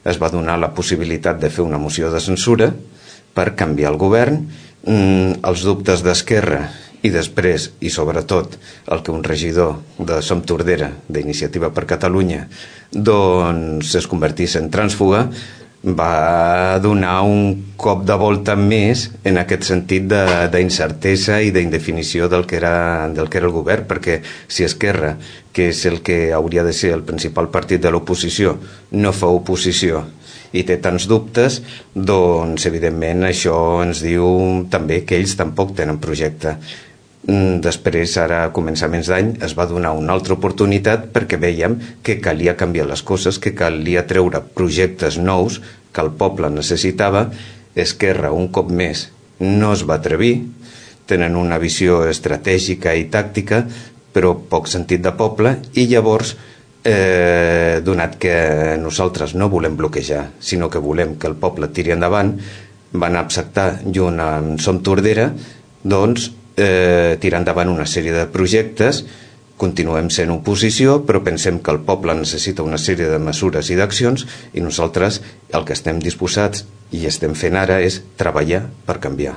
es va donar la possibilitat de fer una moció de censura per canviar el govern. Els dubtes d'Esquerra i després, i sobretot, el que un regidor de Som Tordera, d'Iniciativa per Catalunya, doncs es convertís en trànsfuga, va donar un cop de volta més en aquest sentit d'incertesa i d'indefinició del que era el govern, perquè si Esquerra, que és el que hauria de ser el principal partit de l'oposició, no fa oposició i té tants dubtes, doncs evidentment això ens diu també que ells tampoc tenen projecte. Després, ara a començaments d'any, es va donar una altra oportunitat perquè veiem que calia canviar les coses, que calia treure projectes nous que el poble necessitava. Esquerra, un cop més, no es va atrevir, tenen una visió estratègica i tàctica, però poc sentit de poble, i llavors, donat que nosaltres no volem bloquejar, sinó que volem que el poble tiri endavant, van acceptar, junt amb Som Tordera, doncs, tirar endavant una sèrie de projectes. Continuem sent oposició, però pensem que el poble necessita una sèrie de mesures i d'accions, i nosaltres el que estem disposats i estem fent ara és treballar per canviar.